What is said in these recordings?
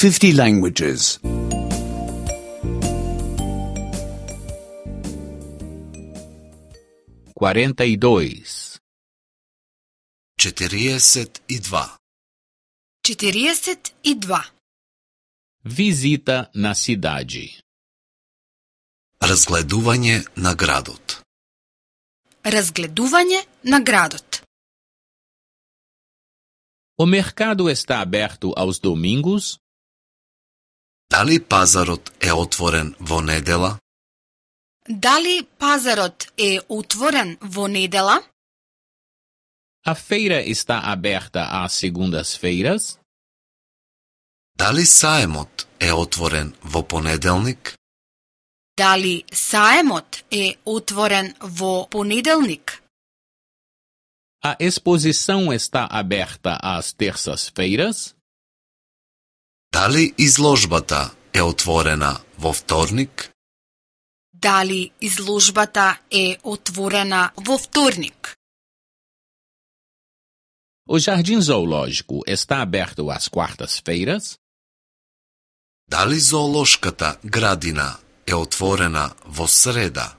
50 languages. 42. 42. 42. Visita na cidade. Разгледување на градот. Разгледување на градот. O mercado está aberto aos domingos? Дали пазарот е отворен во недела? Дали пазарот е отворен во недела? A feira está aberta às segundas-feiras? Дали саемот е отворен во понеделник? Дали саемот е отворен во понеделник? A exposição está aberta às terças-feiras? Дали изложбата е отворена во вторник? Дали изложбата е отворена во вторник? O jardim zoológico está aberto às quartas-feiras? Дали зоолошката градина е отворена во среда?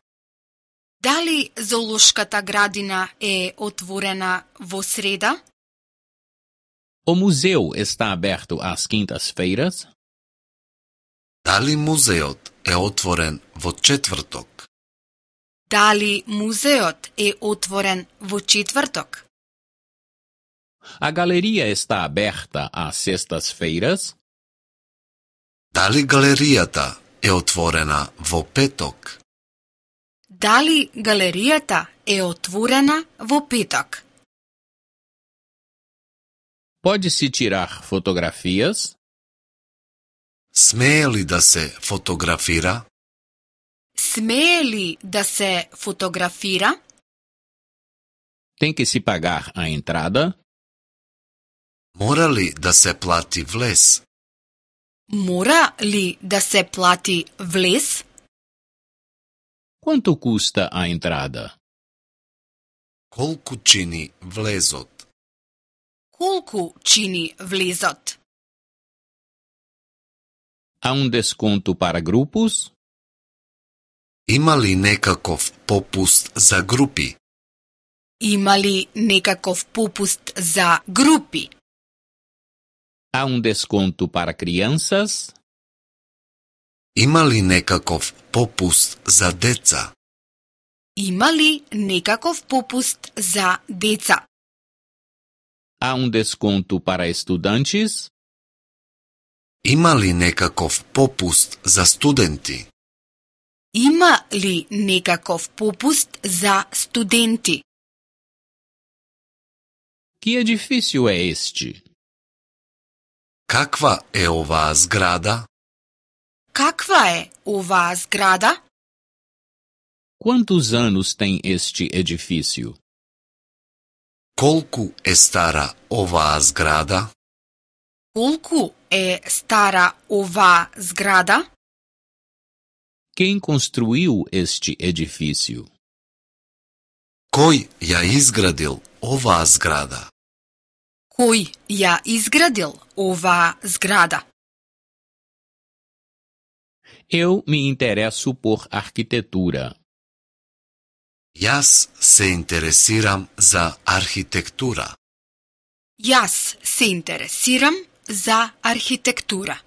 Дали зоолошката градина е отворена во среда? O museu está aberto às quintas-feiras? Дали музеот е отворен во четврток? Дали музеот е отворен во четврток? A galeria está aberta às sextas-feiras? Дали галеријата е отворена во петок? Дали галеријата е отворена во петок? Pode-se tirar fotografias? Смее ли да се фотографира? Смее ли да се фотографира? Tem que se pagar a entrada? Мора ли да се плати влез? Мора ли да се плати влез? Quanto custa a entrada? Колку чини влезот? Колку чини влезот? Há desconto para grupos? Има ли некаков попуст за групи? Има ли некаков попуст за групи? Há desconto para crianças? Има ли некаков попуст за деца? Има ли некаков попуст за деца? Há desconto para estudantes? Има ли некаков попуст за студенти? Има ли некаков попуст за студенти? Que edifício é este? Каква е оваа зграда? Каква е оваа зграда? Quantos anos tem este edifício? Колку е стара оваа зграда? Колку е стара оваа зграда? Quem construiu este edifício? Кој ја изградил оваа зграда? Кој ја изградил оваа зграда? Eu me interesso por arquitetura. Јас се интересирам за архитектура. Јас се интересирам за архитектура.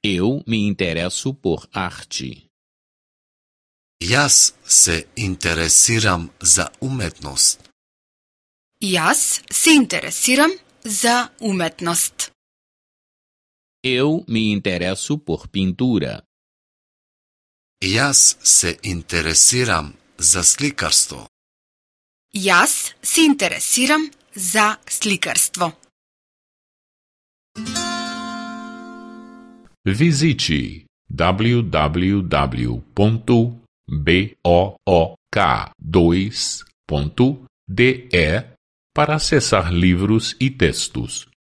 Eu me interesso por arte. Јас се интересирам за уметност. Јас се интересирам за уметност. Eu me interesso por pintura. Јас се интересирам за сликарство. Јас се интересирам за сликарство. Visite www.book2.de para acessar livros e textos.